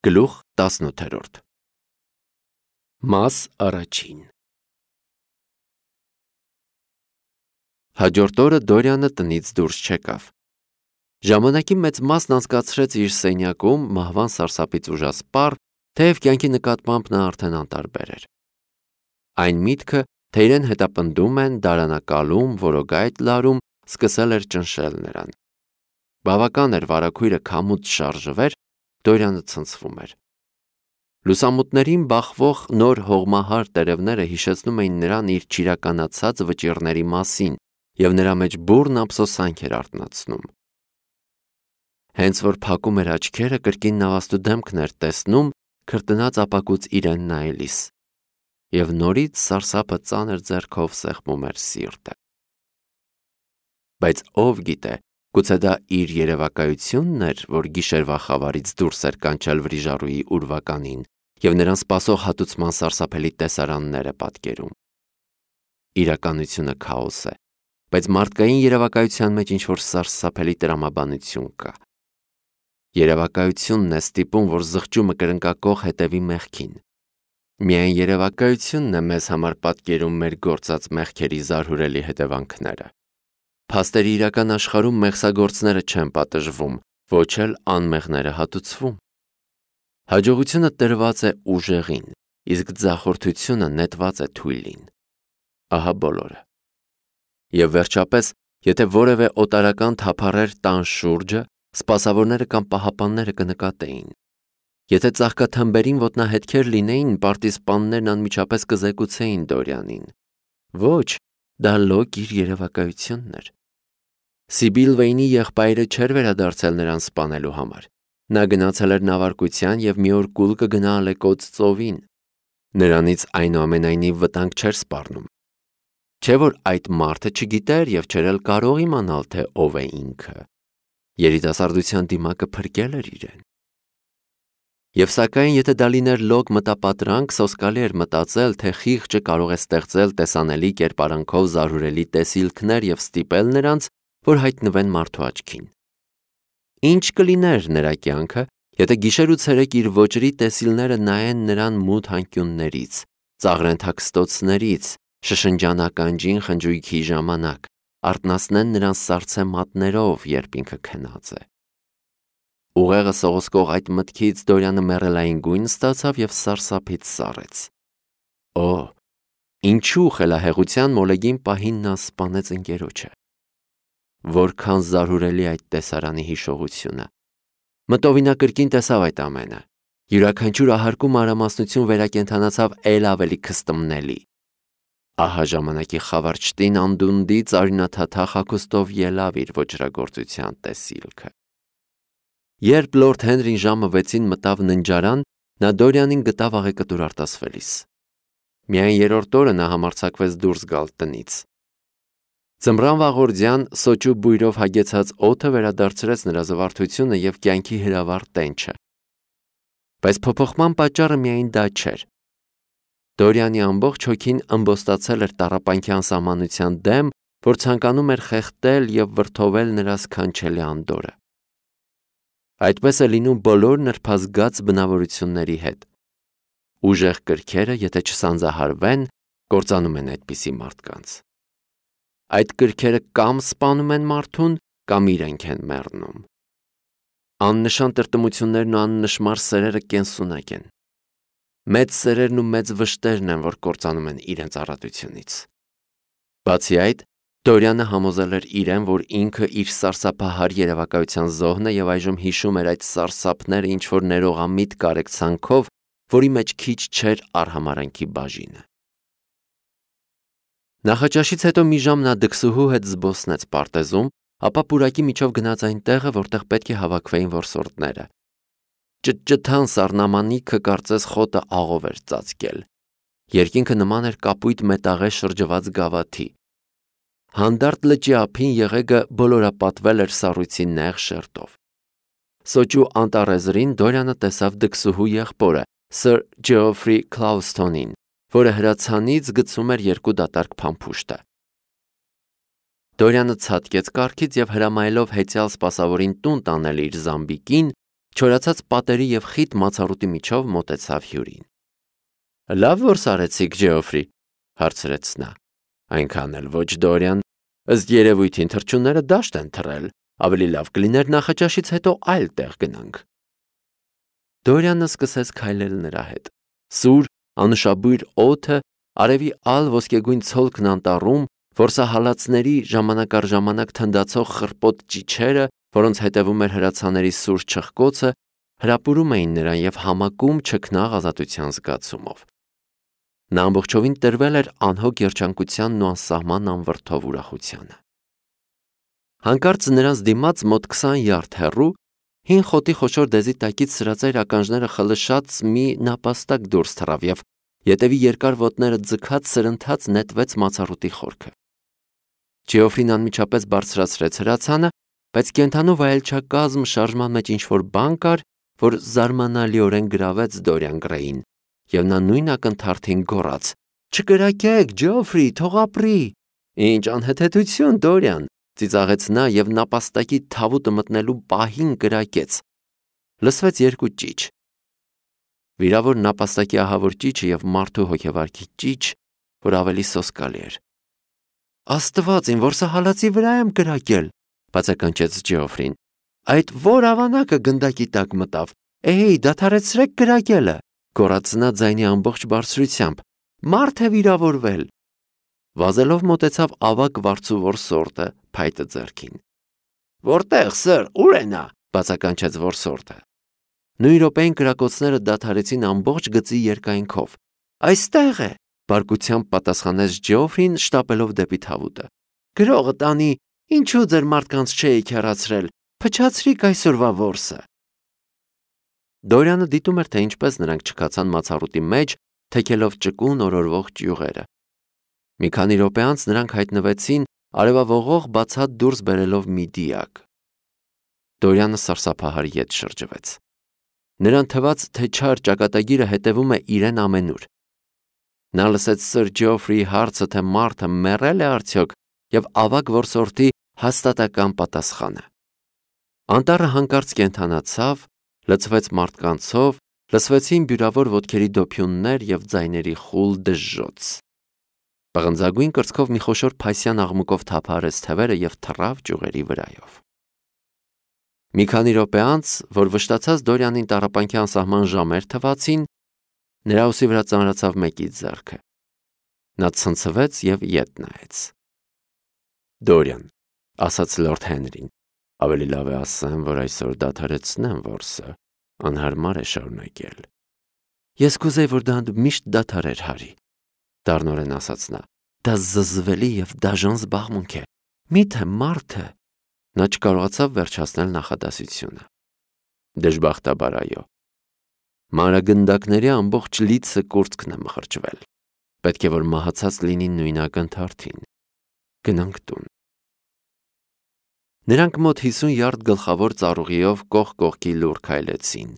Գլուխ 18 Մաս առաջին Հաջորդ օրը Դորյանը տնից դուրս չեկավ։ Ժամանակի մեծ մասն անցկացրեց իր սենյակում մահվան սարսափից ուժասպառ, թեև կյանքի նկատմամբ նա արդեն անտարբեր էր։ Այն միտքը, թե իրեն հետապնդում են, դարանակալում, որոգայթ լարում, սկսել էր ճնշել նրան։ Բավական էր վարագույրը քամուց շարժվեր, Դորյանը ցնցվում էր։ Լուսամուտներին բախվող նոր հողմահար տերևները հիշեցնում էին նրան իր չիրականացած վճիռների մասին և նրա մեջ բուռն ափսոսանք էր արթնացնում։ Հենց որ փակում էր աչքերը, կրկին նավաստու դեմքն էր տեսնում, քրտնած ապակուց իրեն նայելիս, և նորից սարսափը ծանր ձեռքով սեղմում էր սիրտը։ Բայց ով գիտե, գուցե դա իր երևակայությունն էր, որ գիշերվա խավարից դուրս էր կանչել վրիժառուի ուրվականին և նրան սպասող հատուցման սարսափելի տեսարանները պատկերում։ Իրականությունը քաոս է, բայց մարդկային երևակայության մեջ ինչ-որ սարսափելի տրամաբանություն կա։ Երևակայությունն է ստիպում, որ զղջումը կրնկակող հետևի մեղքին։ Միայն երևակայությունն է մեզ համար պատկերում մեր գործած մեղքերի զարհուրելի հետևանքները։ Փաստերի իրական աշխարհում մեղսագործները չեն պատժվում, ոչ էլ անմեղները հատուցվում։ Հաջողությունը տրված է ուժեղին, իսկ ձախորդությունը նետված է թույլին։ Ահա բոլորը։ Եվ վերջապես, եթե որևէ օտարական թափառեր տան շուրջը, սպասավորները կամ պահապանները կնկատեին։ Եթե ծաղկաթմբերին ոտնահետքեր լինեին, պարտիզպաններն անմիջապես կզեկուցեին Դորյանին։ Ոչ, դա լոկ իր երևակայությունն էր։ Սիբիլ եղբայրը չէր վերադարձել նրան սպանելու համար։ Նա գնացել էր նավարկության և մի օր կուլ կգնա ալեկոծ ծովին։ Նրանից այնուամենայնիվ վտանգ չէր սպառնում։ Չէ՞ որ այդ մարդը չգիտեր և չէր էլ կարող իմանալ, թե ով է ինքը։ Երիտասարդության դիմակը փրկել էր իրեն։ Եվ սակայն, եթե դա լիներ լոկ մտապատրանք, սոսկալի էր մտածել, թե խիղճը կարող է ստեղծել տեսանելի կերպարանքով զարհուրելի տեսիլքներ և ստիպել նրանց, որ հայտնվեն մարդու աչքին։ Ինչ կլիներ նրա կյանքը, եթե գիշեր ու ցերեկ իր ոճրի տեսիլները նայեն նրան մութ անկյուններից, ծաղրեն թաքստոցներից, շշնջան ականջին խնջույքի ժամանակ, արթնացնեն նրան սառցե մատներով, երբ ինքը քնած է։ Ուղեղը սողոսկող այդ մտքից Դորյանը մեռելային գույն ստացավ և սարսափից սառեց։ Օ, ինչու խելահեղության մոլեգին պահին նա սպանեց ընկերոջը։ Որքան զարհուրելի այդ տեսարանի հիշողությունը։ Մտովի նա կրկին տեսավ այդ ամենը։ Յուրաքանչյուր ահարկու մանրամասնություն վերակենդանացավ էլ ավելի քստմնելի։ Ահա ժամանակի խավարճտին անդունդի ծարյունաթաթախ հագուստով ելավ իր ոճրագործության տեսիլքը։ Երբ լորդ Հենրին ժամը 6-ին մտավ ննջարան, նա Դորյանին գտավ աղեկտուր արտասվելիս։ Միայն երրորդ օրը նա համարձակվեց դուրս գալ տնից։ Ձմռան վաղորդյան սոճու բույրով հագեցած օդը վերադարձրեց նրա զվարթությունը և կյանքի հրավառ տենչը։ Բայց փոփոխման պատճառը միայն դա չէր։ Դորյանի ամբողջ հոգին ըմբոստացել էր տառապանքի անսահմանության դեմ, որ ցանկանում էր խեղդել և վրդովել նրա սքանչելի անդորրը։ Այդպես է լինում բոլոր նրբազգաց բնավորությունների հետ։ Ուժեղ կրքերը, եթե չսանձահարվեն, կործանում են այդպիսի մարդկանց։ Այդ կրքերը կամ սպանում են մարդուն, կամ իրենք են մեռնում։ Աննշան տրտմություններն ու աննշմար սերերը կենսունակ են։ Մեծ սերերն ու մեծ վշտերն են, որ կործանում են իրենց առատությունից։ Բացի այդ, Դորյանը համոզել էր իրեն, որ ինքը իր սարսափահար երևակայության զոհն է և այժմ հիշում էր այդ սարսափները ինչ-որ ներողամիտ կարեկցանքով, որի մեջ քիչ չէր արհամարհանքի բաժինը։ Նախաճաշից հետո մի ժամ նա դքսուհու հետ զբոսնեց պարտեզում, ապա պուրակի միջով գնաց այն տեղը, որտեղ պետք է հավաքվեին որսորդները։ Ճտճթան սառնամանիքը կարծես խոտը աղով էր ծածկել։ Երկինքը նման էր կապույտ մետաղե շրջված գավաթի։ Հանդարտ լճի ափին եղեգը բոլորապատվել էր սառույցի նեղ շերտով։ Սոճու անտառեզրին Դորյանը տեսավ դքսուհու եղբորը, Սր Ջեոֆրի Քլաուսթոնին, որը հրացանից գցում էր 2 դատարկ փամփուշտը։ Դորյանը ցատկեց կառքից և հրամայելով հեծյալ սպասավորին տուն տանել իր զամբիկին, չորացած պատերի և խիտ մացառուտի միջով մոտեցավ հյուրին։ Լավ որ սարեցիք, Ջեոֆրի, հարցրեց նա։ Այնքան էլ ոչ, Դորիան, ըստ երևույթին թռչունները դաշտ են թռել, ավելի լավ կլիներ նախաճաշից հետո այլ տեղ գնանք։ Դորիանը սկսեց քայլել նրա հետ։ Սուր, անուշաբույր օդը, արևի ալ ոսկեգույն ցոլքն անտառում, որսահալածների ժամանակ առ ժամանակ թնդացող խռպոտ ճիչերը, որոնց հետևում էր հրացաների սուր չխկոցը, հրապուրում էին նրան և համակում չքնաղ ազատության զգացումով։ Նա ամբողջովին տրվել էր անհոգ երջանկությանն ու անսահման անվրդով ուրախությանը։ Հանկարծ նրանց դիմաց մոտ 20 յարդ հեռու հին խոտի խոշոր դեզի տակից սրածայր ականջները խլշած մի նապաստակ դուրս թռավ և ետևի երկար ոտները ձգած սրընթաց նետվեց մացառուտի խորքը։ Ջեոֆրին անմիջապես բարձրացրեց հրացանը, բայց կենդանու վայելչակազմ շարժման մեջ ինչ-որ բան կար, որ զարմանալիորեն գրավեց Դորիան Գրեյին, և նա նույն ակնթարթին գոռաց. «Չկրակեք, Ջեոֆրի, թող ապրի»։ Ինչ անհեթեթություն, Դորիան, ծիծաղեց նա և նապաստակի թավուտը մտնելու պահին կրակեց։ Լսվեց երկու ճիչ։ Վիրավոր նապաստակի ահավոր ճիչը և մարդու հոգեվարքի ճիչ, որ ավելի սոսկալի էր։ Աստված իմ, որսահալածի վրա եմ կրակել, բացականչեց Ջեոֆրին։ Այդ որ ավանակը գնդակի տակ մտավ։ Էհեյ, դադարեցրեք կրակելը, գոռաց նա ձայնի ամբողջ բարձրությամբ։ Մարդ է վիրավորվել։ Վազելով մոտեցավ ավագ վարձու որսորդը, փայտը ձեռքին։ Որտե՞ղ, սըր, ուր է նա, բացականչեց որսորդը։ Նույն րոպեին կրակոցները դադարեցին ամբողջ գծի երկայնքով։ Այստեղ է, բարկությամբ պատասխանեց Ջեոֆրին, շտապելով դեպի թավուտը։ Գրողը տանի, ինչու ձեր մարդկանց չէիք հեռացրել, փչացրիք այսօրվա որսը։ Դորիանը դիտում էր, թե ինչպես նրանք չքացան մացառուտի մեջ, թեքելով ճկուն օրորվող ճյուղերը։ Մի քանի րոպե անց նրանք հայտնվեցին արևավողող բացատ դուրս բերելով մի դիակ։ Դորիանը սարսափահար ետ շրջվեց։ Նրան թվաց, թե չար ճակատագիրը հետևում է իրեն ամենուր։ Նա լսեց սըր Ջեոֆրիի հարցը, թե մարդը մեռել է արդյոք, և ավագ որսորդի հաստատական պատասխանը։ Անտառը հանկարծ կենդանացավ, լցվեց մարդկանցով, լսվեցին բյուրավոր ոտքերի դոփյուններ և ձայների խուլ դժժոց։ Պղնձագույն կրծքով մի խոշոր փայսյան աղմուկով թափահարեց թևերը և թռավ ճյուղերի վրայով։ Մի քանի րոպե անց, որ վշտացած Դորիանին տառապանքի անսահման ժամեր թվացին, նրա ուսի վրա ծանրացավ մեկի ձեռքը։ Նա ցնցվեց և ետ նայեց։ Դորիան, ասաց լորդ Հենրին, ավելի լավ է ասեմ, որ այսօր դադարեցնեմ որսը, անհարմար է շարունակել։ Ես կուզեի, որ դա միշտ դադարեր, Հարի, դառնորեն ասաց նա։ Դա զզվելի և դաժան զբաղմունք է։ Միթե մարդը։ Նա չկարողացավ վերջացնել նախադասությունը։ Դժբախտաբար այո։ Մանրագնդակների ամբողջ լիցը կուրծքն է մխրճվել։ Պետք է որ մահացած լինի նույն ակնթարթին։ Գնանք տուն։ Նրանք մոտ 50 յարդ գլխավոր ծառուղիով կողք կողքի լուռ քայլեցին,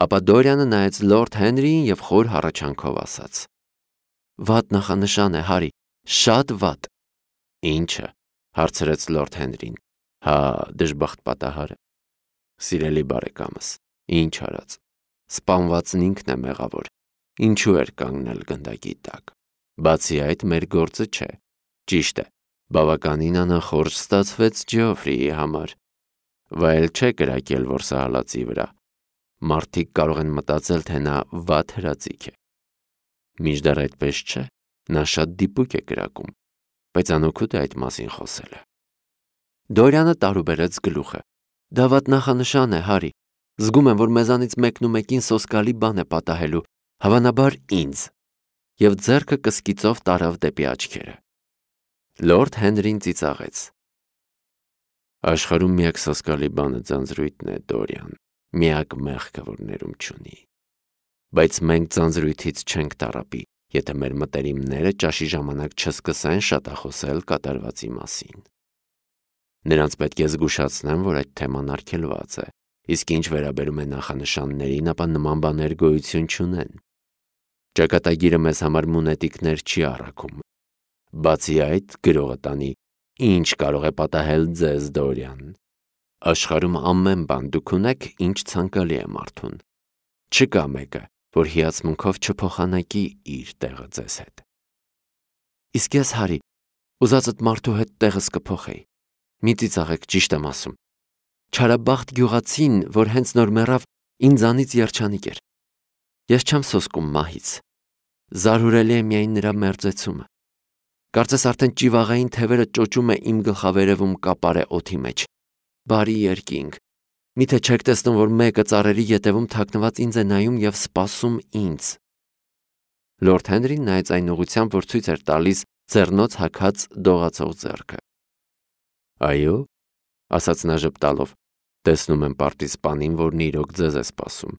ապա Դորիանը նայեց լորդ Հենրիին և խոր հառաչանքով ասաց. Վատ նախանշան է, Հարի, շատ վատ։ Ինչը, հարցրեց լորդ Հենրին։ Հա, դժբախտ պատահարը։ Սիրելի բարեկամս, ինչ արած։ Սպանվածն ինքն է մեղավոր։ Ինչու էր կանգնել գնդակի տակ։ Բացի այդ, մեր գործը չէ։ Ճիշտ է, բավականին անախորժ ստացվեց Ջեոֆրիի համար։ Վայել չէ կրակել որսահալածի վրա։ Մարդիկ կարող են մտածել, թե նա վատ հրաձիգ է։ Մինչդեռ այդպես չէ, նա շատ դիպուկ է կրակում, բայց անօգուտ է այդ մասին խոսելը։ Դորիանը տարուբերեց գլուխը։ Դա վատ նախանշան է, Հարի։ Զգում եմ, որ մեզանից մեկն ու մեկին սոսկալի բան է պատահելու, հավանաբար ինձ։ Եվ ձեռքը կսկիծով տարավ դեպի աչքերը։ Լորդ Հենրին ծիծաղեց։ Աշխարհում միակ սոսկալի բանը ձանձրույթն է, Դորիան, միակ մեղքը, որ ներում չունի։ Բայց մենք ձանձրույթից չենք տառապի, եթե մեր մտերիմները ճաշի ժամանակ չսկսեն շատախոսել կատարվածի մասին։ Նրանց պետք է զգուշացնեմ, որ այդ թեման արգելված է, իսկ ինչ վերաբերում է նախանշաններին, ապա նման բաներ գոյություն չունեն։ Ճակատագիրը մեզ համար մունետիկներ չի առաքում։ Բացի այդ, գրողը տանի, ինչ կարող է պատահել ձեզ, Դորիան։ Աշխարհում ամեն բան դուք ունեք, ինչ ցանկալի է մարդուն։ Չկա մեկը, որ հիացմունքով չփոխանակի իր տեղը ձեզ հետ։ Իսկ ես, Հարի, ուզածդ մարդու հետ տեղս կփոխեի։ Մի ծիծաղեք, ճիշտ եմ ասում։ Չարաբախտ գյուղացին, որ հենց նոր մեռավ, ինձանից երջանիկ էր։ Ես չեմ սոսկում մահից։ Զարհուրելի է միայն նրա մերձեցումը։ Կարծես արդեն ճիվաղային թևերը ճոճում է իմ գլխավերևում կապարե օդի մեջ։ Բարի երկինք։ Միթե չեք տեսնում, որ մեկը ծառերի ետևում թաքնված ինձ է նայում և սպասում ինձ։ Լորդ Հենրին նայեց այն ուղղությամբ, որ ցույց էր տալիս ձեռնոց հագած դողացող ձեռքը։ Այո, ասաց նա ժպտալով, տեսնում եմ պարտիզպանին, որն իրոք ձեզ է սպասում։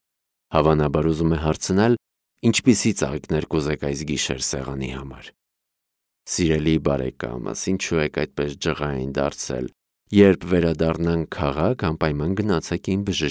Հավանաբար ուզում է հարցնել, ինչպիսի ծաղիկներ կուզեք այս գիշեր սեղանի համար։ Սիրելի բարեկամս, ինչու եք այդպես ջղային դարձել։ Երբ վերադառնանք քաղաք, անպայման գնացեք իմ բժշկի